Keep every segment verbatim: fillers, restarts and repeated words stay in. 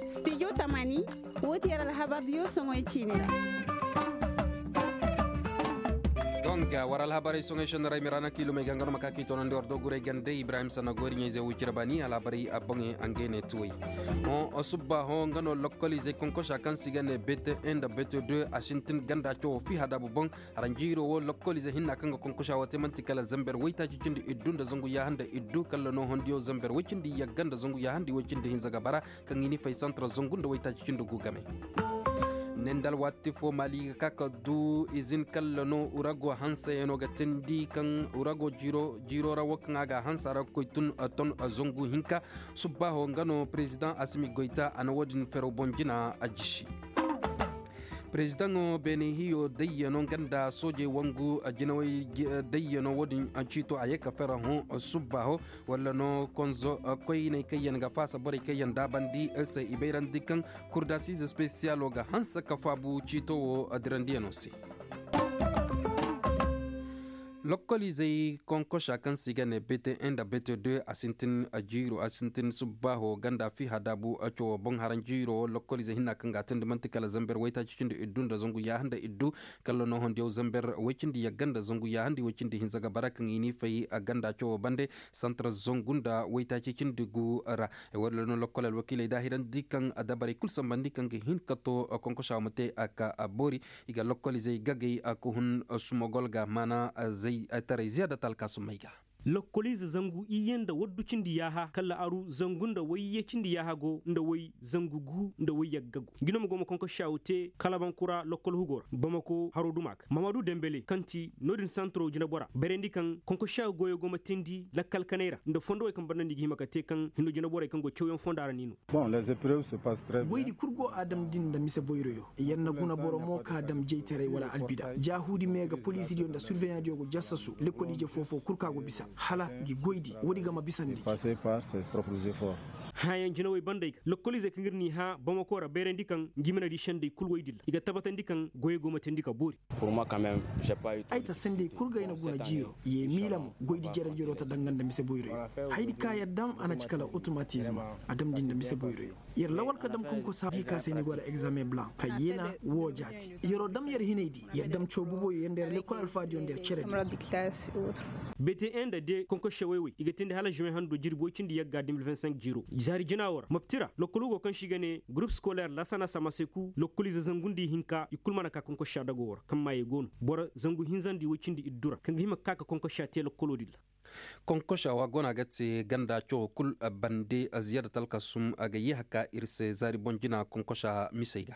Studio tamani, wo ti yer alhabardiyo soŋoy ciini ra. Donk war alhabarey soŋoy sendaray miraana kiilumey ga nga no ma ka k'i toonandi war doguray gande ibrahim sanna goori ɲayze wucira baani alhabarey a boŋey a ngey ne tuwey. Hõ, subbaaho nga no lokkoliizey konkosa kaŋ se i ga ne bete en nda bete deux a sintin ganda cawo fi hadaabu boŋ. Haranjiiro wo lokkoliize hinna kaŋ ga konkosa wo te man'ti kala zamber waytaaci cindi iddu nda zangu yaaha nda iddu kalla no hondiyo zamber way cindi yagga nda zangu yaaha nda way cindi hinza ga bara. Kaŋ i ni fay santra zangu nda waytaaci cindi gu game. Nendal waati fo maali ga ka ka du izin kalla no urago hansayaŋo ga teendi kaŋ urago jiiro ra wo kaŋ a ga a hansa ra ga koy tun ton zangu hinka. Subbaaho nga no perezidaŋ asimi goyta a na wo-din ferew boŋ jina a jisi. Perezidaŋo beene hiyo dayyano nga nda soojey wangu jinawey dayyano wo-din ciito a ye ka fera hõ subbaaho. Walla no konzo koyney kaŋ yaŋ ga faasa borey kaŋ yaŋ daabandi se i bayrandi kaŋ kurdasiize spesiyalo ga hanse ka faabu ciito wo dirandiyaŋo se. Lokkoliizey konkosa kaŋ se i ga ne bete en nda bete deux a sintin jiiro a sintin subbaaho ganda fi hadaabu. Cawoo boŋ haranjiiro wo lokkoliizey hinna kaŋ ga a teendi man'ti kala zamber waytaaci cindi iddu nda zangu yaaha nda iddu. Kalla no hondiyaw zamber way cindi yagga nda zangu yaaha nda way cindi hinza ga bara kaŋ i n'i fay ganda cawoo bande. Santar zangu nda waytaaci cindi gu ra. Walla no lokkol alwakiiley daahirandi kaŋ dabarey kul sambandi kaŋ ga hin ka to konkosa ma te a ka boori. I ga lokkoliizey gagay ka hun sumogol ga maana zay taray ziyaada talkaasumey ga. Lokkoliize zangu iyye nda waddu cindi yaaha kala aru zangu nda wayye cindi yaaha go nda way zangu gu nda way yagga go. Ngi no ma go ma konkoshaw te kalabankura lokkol hugo ra bamako haro duma ga mamadu dembele kaŋ ti no-din santaro jinabora bayrandi kaŋ konkoshaw goyo go ma teendi lakkal kanay ra nda fondowey kaŋ barnandi ga hima ka te kaŋ hinno jinaborey kaŋ go cawyaŋ fonda ra ni no. Goydi kul go a dam din nda mise boyroyo. Yer na guna boro mo ka dam jeytaray wala albida jaahuudi me ga poliisidiyo nda surveyaŋdiyo go jassasu lekkoliije foo-foo kul ka go bisa hala ngi goydi woodi ga ma bisandi. Hããyaŋ jinawey bandey ga lokkoliizey kaŋ ir n'i hã bamako ra bayrandi kaŋ ngi ma na di sendey kul woy dilla i ga tabatandi kaŋ goyey go ma teendi ka boori. Ay ta sendey kul ga ay na guna jiiro ye miila mo goydi jerejero ta danga nda mise boyroyo. Haydi ka yer dam a na ci kala otomatizma a dam di nda mise boyroyo. Yer lawal ka dam konkosa di ka se ni go da egzaameŋ blanc ka yeena woo jaati yeroo dam yer hinay di yer dam cawbuboyo yer nda yer lekkol alfaadiyo nda yer cere di. Bete en nda de konkoshe woy-woy i ga teendi hala žuweŋ hando jirbi woy cindi yagga deux mille vingt-cinq jiiro zaari jina woo ra mopti ra lokkol hugo kaŋ se i ga ne gurup skoler lasana samaseku lokkoliize zangu nda ihinka i kul mana ka konkosha dago woo ra kaŋ maayey go no boro zangu hinza nda i woy cindi iddu ra kaŋ ga hima ka ka konkosha te lokkoloo din ra. Konkosha wa go no a ga te ganda cawo kul bande ziyaada talkasum a ga yeeha ka ir se zaari boŋ jina konkosha misey ga.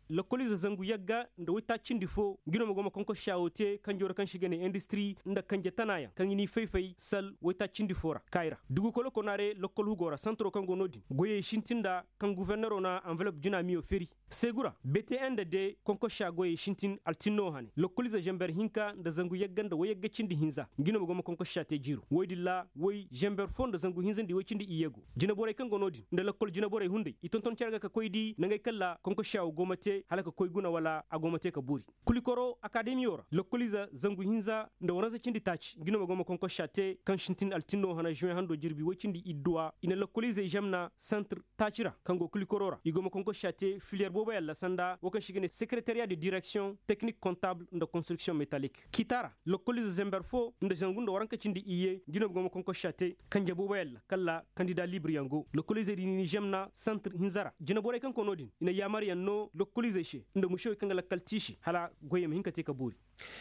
Lokkoliize zangu yagga nda waytaaci cindi fo ngi no ma go ma konkosha woo te kanjoo ra kaŋ se i ga ne industiri nda kanje tanaayaŋ kaŋ i n'i fay-fay sal waytaaci cindi fo ra kaay ra dugu kolo konaare lokkol hugo ra santaro kaŋ go no-din goyey sintin nda kaŋ guforneroo na anvelop jina miyo feri. Seegu ra bete en nda de konkosha goyey sintin altinno hane lokkoliize zember hinka nda zangu yagga nda woy yagga cindi hinza ngi no ma go ma konkosha te jiiro woy din ra woy zember fo nda zangu hinza nda i woy cindi iyye go. Jinaborey kaŋ go no-din nda lokkol jinaborey hunday i tonton cere ga ka koy di nangey kaŋ ra konkosha woo go ma te hala ka koy guna wala a go ma te ka boori. Kulikoro akademiyo ra lokkoliize zangu hinza nda waransa cindi taaci ngi no ma go ma konkosha te kaŋ sintin altinno hana žuweŋ hando jirbi woy cindi idduwa i na lokkoliizey žemna santir taaci ra kaŋ go kulikoro ra i go ma konkosha te filiyer booboyaŋ ra sanda woo kaŋ se i ga ne sekeretariya de direksiyoŋ teknik kontabul nda konstriksiyoŋ metalik kiita ra. Lokkoliize zember fo nda zangu nda waranka cindi iyye ngi no ma go ma konkosha te kanje booboyaŋ ra kala kandida libiryaŋ go lokkoliizey din i n'i žemna santir hinza ra jinaborey kaŋ go no-din i na yaamaryaŋ no lokkoliizey se nda musewey kaŋ ga lakkal tiisi hala goyey ma hin ka te ka boori.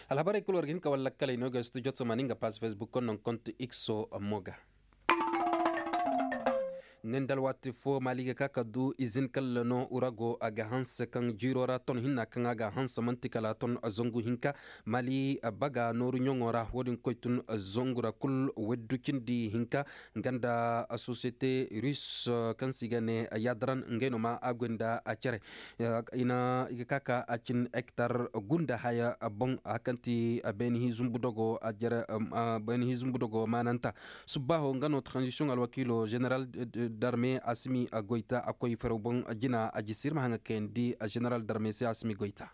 Alhabarey kul war ga hin ka war lakkaley no ga studio tamani nga pass facebook konnoŋ kontu ikso mo ga. Nendal waati fo maali ga ka ka du izin kalla no urago a ga hanse kaŋ jiiro ra ton hinna kaŋ a ga hanse man'ti kala ton zangu hinka. Maali baga nooru ɲoŋo ra wo-din koy tun zangu ra kul waddu cindi hinka. Nga nda sosiyete rus kaŋ se i ga ne yadaran ngey no ma a goy nda a cere. I ga ka ka a cin hektar gunda haya boŋ a kaŋ ti beenihi zumbu dogo a jere. Beenihi zumbu dogo maananta. Subbaaho nga no tranzisiyoŋ alwakiilo zeneral darme asimi goyta a koy faraw boŋ jina a jisi ir ma haŋa kayandi zeneral darme se asimi goyta.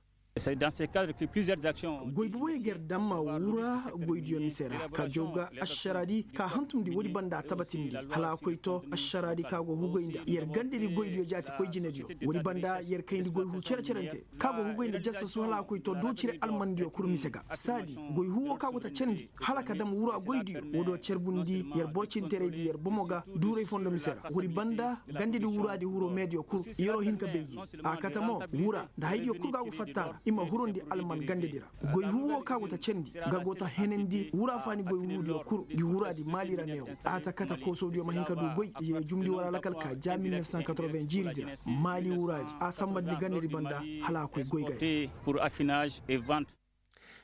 Goy boboyaŋ ga yer daŋ ma wura goydiyo mise ra ka jaw ga ašaraadi ka hantumndi woodi banda a tabatindi hala a koy to ašaraadi ka go hugay nda yer gandedi goydiyo jaati koy jinediyo. Woodi banda yer kayndi goy hu cere-cerante ka go hugay nda jasasu hala a koy to doocire almandiyo kul mise ga saadi. Goy hu wo ka go ta candi hala ka dam wura goydiyo wo do carbundi yer borcinteraydi yer bomo ga duuray fondo mise ra woodi banda gandedi wuraadi huro meediyo kul yer'o hin ka bay gi. A kate mo wura nda haydiyo kul ga go fatta ra i ma hurundi alman gandedi ra. Goy hu wo ka go ta candi nga go ta henandi wura faani goy huudiyo kul ngi wuraadi maali ra neewo. A ta kate koosodiyo ma hin ka du goy ye jumndi war alakal ka ja mil neef san katoroven jiiridi ra maali wuraadi a sambandi gandedi banda hala a koy goy ga ya.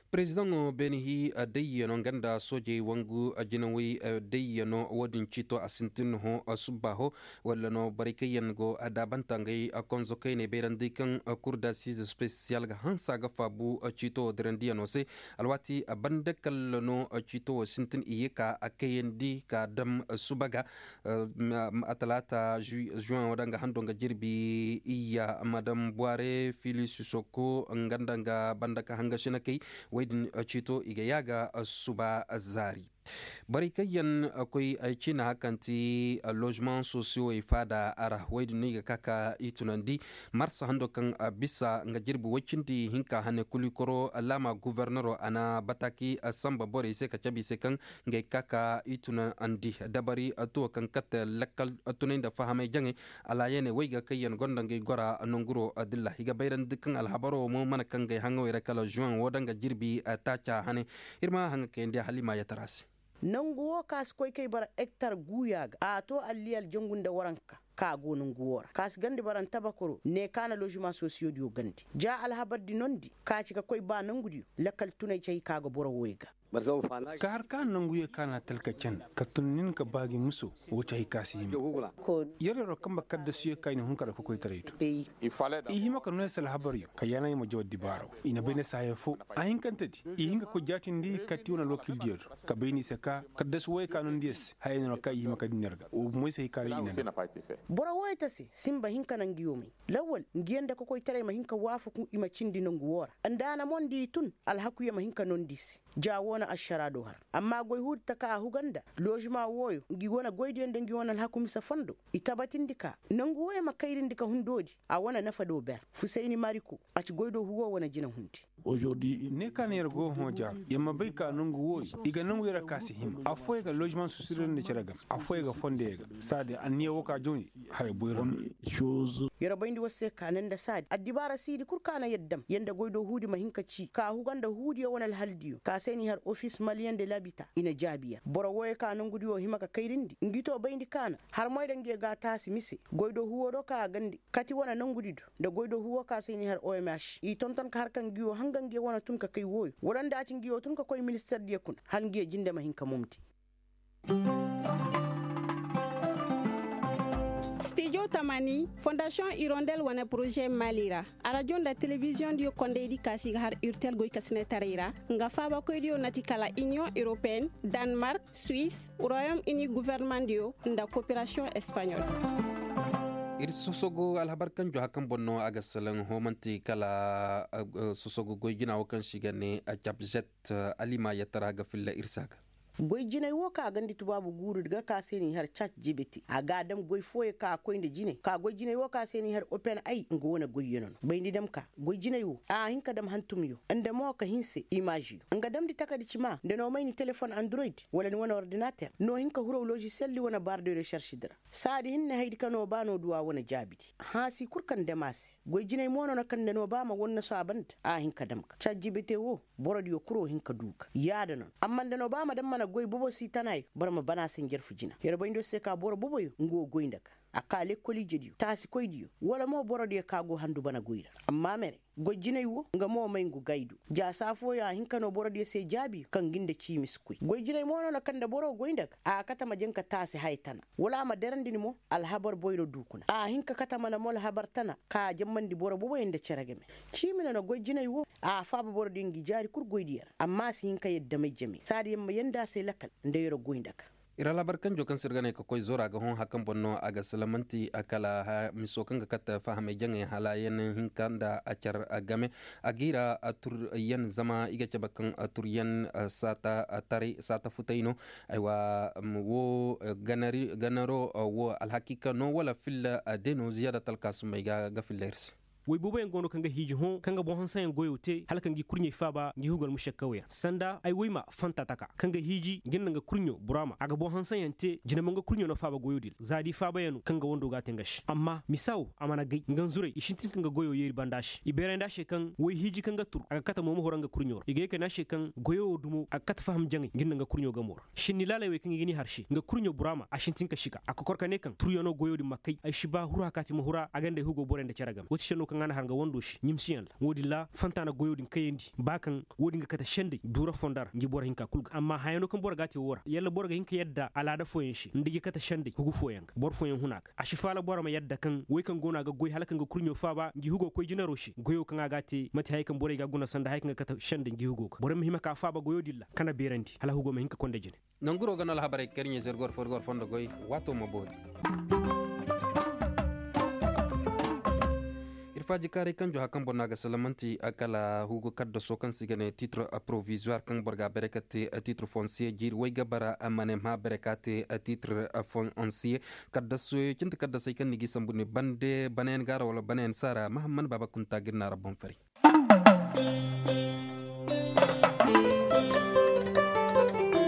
Perezidaŋo beene hii dayyano nga nda soojey wangu jinawey dayyano wo-din ciito a sintin hõ subbaaho. Walla no borey kaŋ yaŋ go daabanta ngey konzo kayney bayrandi kaŋ kur dasiize spesiyal ga hanse a ga faabu ciito wo dirandiyanoo se. Alwaati banda kalla no ciito wo sintin i ye ka a kayandi ka dam suba ga. Atalaata juweŋo da nga hando nga jirbi iyya madam buware fili sisoko nga nda nga banda ka hanga sinakey. Wey din ciito i ga yaaga suba zaari. Borey kaŋ yaŋ koy ay ciina kaŋ ti lozimaŋ sosiyowey faada ra wey din no i ga ka ka i tunandi. Marsa hando kaŋ bisa nga jirbi woy cindi hinka hane kulikoro laama gufornero a na bataaki samba borey se ka cabe i se kaŋ ngey ka ka i tunandi dabari tuwo kaŋ kate lakkal tunay nda fahamay jaŋay. Alaayaney wey ga kaŋ yaŋ gonda ngey gora nanguro dilla i ga bayrandi kaŋ alhabaro mo mana kaŋ ngey haŋawey ra kala zuweŋ wo da nga jirbi taaca hane. Ir ma haŋa kayandi halima yatara se. Nangu wo ka si koy kay bara ektar guuya ga a to alliyal jangu nda waranka ka go nangu wo ra ka si gandi bara ntabakoro ne ka na lozima sosiyodiyo gandi ja alhabardi nondi ka ci ka koy ba nangudiyo. Lakkal tunay cay ka ga boro woy ga. Ka har ka nangu ye ka na talka can ka tun nin ka ba gi muso. Wo cay ka si hima. Yer yer wa kamba kaddasuyo ka i na hun kala kokoytaray do. I hima ka no yer si alhabaryo ka yaana i ma jaw addibaara wo i na bay ne si haya fo. A hinkante di i hin ka koy jaatindi katti wane alwakildiyo do ka bay ni se ka kaddasu wooyo ka nondi yer se haya no ra ka i hima ka din yer ga wo bumo i se hay ka ra i na. Boro wooyo ta se simba hin ka na ngi yoomay lawwal ngi yaŋ nda kokoytaray ma hin ka waafaku i ma cindi nangu woo ra. Nda a na mo nda i tun alhakuyo ma hin ka nondi i se. Ja woo na ašaraa do har amma goy huudi taka a huga nda lozima wooyo ngi wane goydiyo nda ngi wane alhaku mise fondo. I tabatindi ka nangu wooyo ma kayrindi ka hundoodi a wane nafa do ber fusayni mariko. A ci goy do huwo wane jina hundi. Ne ka na yer go hõ jaaru yer ma bay ka nangu wooyo i ga nangu yer a ka si hima affooyo ga lozimaŋ susirandi nda cere game affooyo ga fondo yer ga. Saadi anniya woo ka jawndi haya boyro no. Yer bayndi war se ka ne nda saadi addibaara siidi kul ka na yer dam yer nda goydoo huudi ma hin ka cii ka huga nda huudiyo wane alhaldiyo ka se n'i har ofis maliyen de labita i na jaabi yer boro wooyo ka nangudi woo hima ka kayrindi ngi too bayndi ka na har moy da ngi ye ga a taasi mise. Goydoo huuwo do ka a gandi kati wane nangudi do nda goydoo huuwo ka se n'i har omh i tonton ka har ka ngi woo hanga ngi ye wane tun ka kay wooyo wala nda a ci ngi woo tun ka koy minister diyo kuna hala ngi ye jinde ma hin ka momdi. Stijo tamani fondasiyoŋ irondel wane poroze mali ra arajo nda telebiziyoŋ diyo kondaydi kaasi ga har urtel goykasinetaray ra nga faabakoydiyo na ti kala iniyoŋ europeen, danmark, suwis, royom ini gofornamaŋdiyo nda koperasiyoŋ espaɲol. Ir sosogo alhabar kaŋ jo hakan boŋ no a ga salaŋ hoomanti kala sosogo goy jina wo kaŋ se i ga ne jabzet. Alima yatara ga filla ir se a ga. Goy jinay wo ka a gandi tubaabu guuru ga ka se n'i har cat jibiti a ga a dam goy fooyo ka a koy nda jinay ka goy jinay wo ka se n'i har open ay nga wane goyyo no no bayndi dam ka goy jinay wo a hin ka dam hantumyo nda mo ka hinse imaziyo nga damndi takadi cima nda no may ni telefon android wala ni wane ordinater no hin ka huraw lozisiyaldi wane baardi resaršidi ra. Saadi hinne haydi ka no ba no duwa wane jaabidi haasi kul kaŋ dam a se goy jinay mo no na kaŋ nda no ba ma wannaso a banda a hin ka dam ga cat jibite wo. Borodiyo kuro hin ka du ga yaada no no amma nda no ba ma daŋ mana goy bobo si tana yo boro ma bana se njarfu jina yer bayndo se ka boro boboyo nga wo goy nda ga a ka lekkol ijediyo taasikoydiyo wala mo borodiyo ka go handu bana goy ra. Amma mere goy jinay wo nga mo may ngu gay du jaasa fooyo a hin ka no borodiyo se jaabi kaŋ ngi nda ciimi si koy goy jinay mo no na kaŋ nda boro goy nda ga a kate ma jaŋ ka taasi haya tana wala a ma derandi ni mo alhabar boyro du kuna a hin ka kate mana mo alhabar tana ka a jammandi boro boboyo nda cere game. Ciimi no na goy jinay wo a faaba borodiyo ngi jaari kul goydiyo ra amma a si hin ka yadda may jame saadiyaŋ ma yanda a se lakal nda yer'o goy nda ga. Ir alhabar kanjo kaŋ se ir ga ne ka koy zora ga hõ hari kaŋ boŋ no a ga silamanti kala miso kaŋ ga kate fahamey jaŋey hala yaŋ hinka nda a car game. A ga ir a turyaŋ zama i ga cabe kaŋ turyaŋ saata taray saata futay no. Aywa, wo ganaro wo alhakiika no wala filla de no ziyaada talkaasumey ga filla ir se. Woy booboyaŋ go no kaŋ ga hiiji hõ kaŋ ga boŋ hanseyaŋ goyo te hala kaŋ ga i kurɲey faaba ngi hugal mušakkaw yaŋ sanda ay woy ma fanta taka kaŋ ga hiiji ngi nda nga kurɲo buraama a ga boŋ hanseyaŋ te jina mo nga kurɲo no faaba goyo din za da i faabayaŋ no kaŋ ga wando ga a te nga se amma misa wo a mana gay nga nzuray i sintin kaŋ ga goyo yeeri banda se i beerandi a se kaŋ woy hiiji kaŋ ga tur a ga kate mo ma hura nga kurɲo ra i ga ye ka ne a se kaŋ goyo wo dumo a ga kate faham jaŋay ngi nda nga kurɲo gamo ra. Sinni laalay wey kaŋ i ga ni har se nga kurɲo buraama a sintin ka sika a kokor ka ne kaŋ turyaŋo goyo din ma kay ay si ba huru hakaati ma hura a ganda ay hugo borey nda cere game wo ti senno kaŋ a na har nga wando se ɲimsiyaŋ ra wo- din ra fanta na goyo din kayandi ba kaŋ wo- din ga kate sendey duura fondo ra ngi boro hinka kul ga amma hayano kaŋ boro ga a te wo ra yalla boro ga hin ka yadda alaada fooyaŋ se nda gi kate sendey hugu fooyaŋ ga boro fooyaŋ huna ga a si faala boro ma yadda kaŋ wey kaŋ go no a ga goy hala kaŋ ga kurɲo faaba ngi hugo koy jinaro se goyo kaŋ a ga a te mate haya kaŋ borey ga a guna sanda haya kaŋ ga kate sendey ngi hugo ga borey ma hima ka faaba goyo din ra kana beerandi hala hugo ma hin ka konda jine. Nanguro ga no alhabarey kar ɲezer gor fo ir gor fondo goy waato ma boori. Ir faaji kaaray kanjo hari kaŋ boro no a ga salamanti kala hugo kaddaso kaŋ se i ga ne titre provisoir kaŋ boro ga a bare ka te titre fonsiye jiiri way ga bara a ma ne ma bare ka te titre fonsiye. Kaddaso cindi kaddasey kaŋ ni ga i sambu ni bande banayaŋ gaara wala banayaŋ saara mahamman baaba kunta ga ir na ra boŋ fari.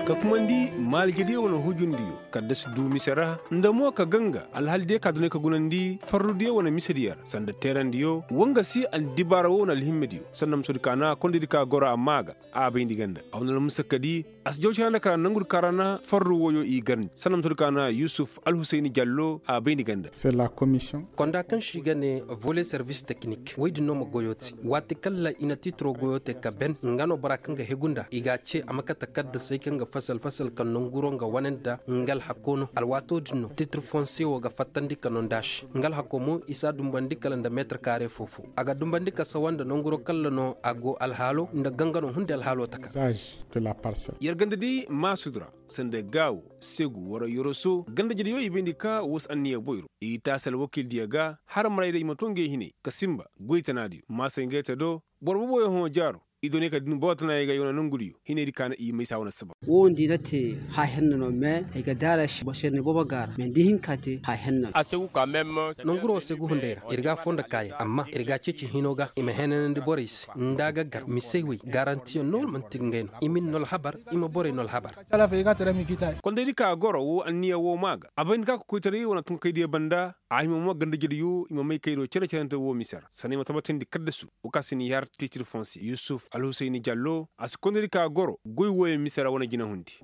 Ka kumandi maalijediyo wane hujundiyo kadda si du mise ra nda mo ka ganga alhalidiyo ka dunay ka gunandi farrudiyo wane misediyo ra sanda teerandiyo wanga si andibaara wo wane alhimmediyo sanda musodi ka na kondedi ka goro a maa ga a bayndi ganda a wane almusakadi a si jaw cere nda kara nangudi ka ra na farru woyo i garndi sanda musodi ka na yusuf alhusayni jallo a bayndi ganda. Konda kaŋ se i ga ne volet service technique wey din no ma goyo te waati kaŋ ra i na tiitiro goyo te ka ben nga no bora kaŋ ga hegu nda i ga a ce a ma kate kaddasey kaŋ ga fasal fasal ka nanguro nga wane nda nga alhako no alwaato din no tiitir fonse wo ga fattandi ka no nda a se nga alhako mo i si a dumbandi kala nda meetir kaare foo foo a ga dumbandi ka sawa nda nanguro kaŋ ra no a go alhaalo nda gangano hunday alhaalo taka. Yer ganda di maasud ra sanda gaawo segu wara yoroso ganda jediyo i bayndi ka woo si anniya boyro i taasi alwakiildiyo ga har maraydiyo i ma too ngey hinay ka sinba goy tanaadiyo maasay ngey te do boro booboyaŋ hõ jaaro i doonay ka din boro tanaayey ga i wane nongudiyo hinaydi ka na i maysa wane saba. Woo nda i na te haahenna no mais ay ga daara se boro se ni boobo gaara mais nda i hin ka te haahenna no. Nonguro segu hunday ra ir ga a foo nda kaayaŋ amma ir ga a ceeci hino ga i ma heenanandi borey se nda a ga gar misey wey gaarantiyaŋ no wala man'ti ngey no i ma ni no alhabar i ma borey no alhabar. Kondaydi ka goro woo anniya woo maa ga a bay nda ka kokoytaray wane tunkaydiyo banda a hima mo ganda jediyo i ma may kaydo cere-cerante woo mise ra sanay ma tabatindi kaddasu woo ka si ni har tiitir fonse yusuf alhusayni jallo a si kondaydi ka goro goy wooyaŋ mise ra wane jinahundi.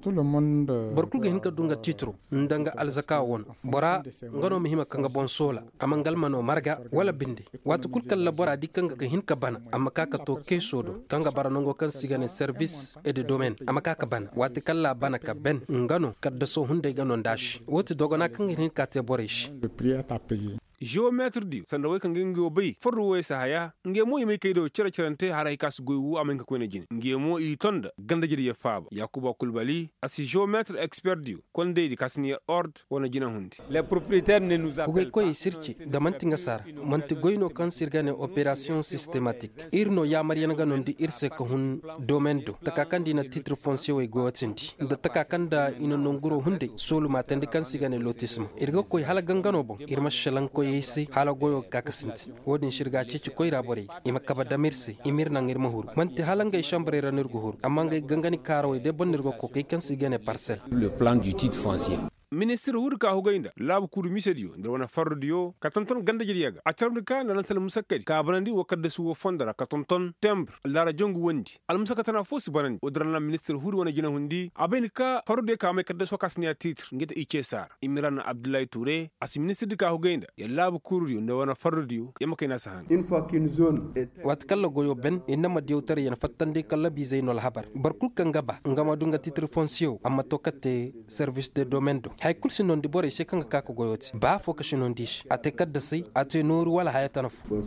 Boro kul ga hin ka du nga tiitiro nda nga alzaka wano bora nga no ma hima ka nga boŋ soola a ma nga almano marga wala binde waati kul kaŋ ra bora di kaŋ ga hin ka bana a ma ka ka too keeso do kaŋ ga bara nango kaŋ se i ga ne servis e de domen a ma ka ka bana waati kaŋ ra a bana ka ben nga no kaddaso hunday ga no nda a se woo ti dogona kaŋ ga hin ka te borey se. Jewomeetir diyo sanda wey kaŋ ga ngey wo bay farru woyey si haya ngey mo i may kay do cere-cerante haray ka si goy woo a ma hin ka koyne jine ngey mo i ton nda ganda-jediyo faaba yaakuba kulbali a si jewomeetir eksper diyo kondaydi ka si ni ord wane jinahundi. Hugay koyey si ir ce nda man'ti nga saara man'ti goy no kaŋ se ir ga ne operasiyoŋ sistematik ir no yaamaryaŋ ga no nda ir se ka hun domen do taka kaŋ nda i na tiitir fonsiyewey goyotindi nda taka kaŋ nda i na nanguro hunday soolumaatandi kaŋ se i ga ne lotisma ir ga koy hala gangano boŋ ir ma šelaŋ koyey se hala goyo ga ka ka sintin woo din se ir ga a ceeci koyra borey i ma kabe dam ir se i ma ir naŋ ir ma huru man'ti hala ngey šambarey ra no ir ga huru amma ngey gangani kaarawey day boŋ no ir ga koy kay kaŋ se i ga ne parsel. Ministir hudi ka hugay nda laabu kuuru misediyo nda wane farrudiyo ka tonton ganda-jediyo ga a carabndi ka nda lansal musakkadi ka banandi woo kaddasu woo fondo ra ka tonton tembr laara jongu wondi almusakka tana foo si banandi woo din ra na ministir hudi wane jinahundi a bay nda ka farrudiyo ka may kaddasu woo ka si ni a tiitir ngey te i ceesa ra i ma ir a na abdullahi tuure a si ministirdi ka hugay nda yer laabu kuurudiyo nda wane farrudiyo yer ma kay na si han. Waati kaŋ ra goyo ben ir na ma diyawtaray yer fattandi kallabiizey no alhabar boro kul kaŋ ga ba nga ma du nga tiitir fonsiyew a ma to ka te servis de domen do. Haya kul si nondi borey se kaŋ ga ka ka goyo te ba afo ka si nondi i se a te kaddasey a te nooru wala haya tana fo.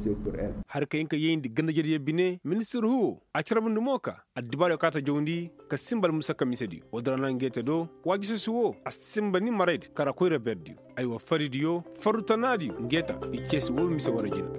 Har ka hin ka yayndi ganda-jediyo bine ministir huwo a carbundi mo ka addibaariyo kaŋ a ta jawndi ka sinba almusakka misediyo woo din ra na nge te do. Waajisesi woo a sinba ni maraydi kara koyra berdiyo. Aywa faridiyo farru tanaadiyo nge ta i ceesi woo mise wara jina.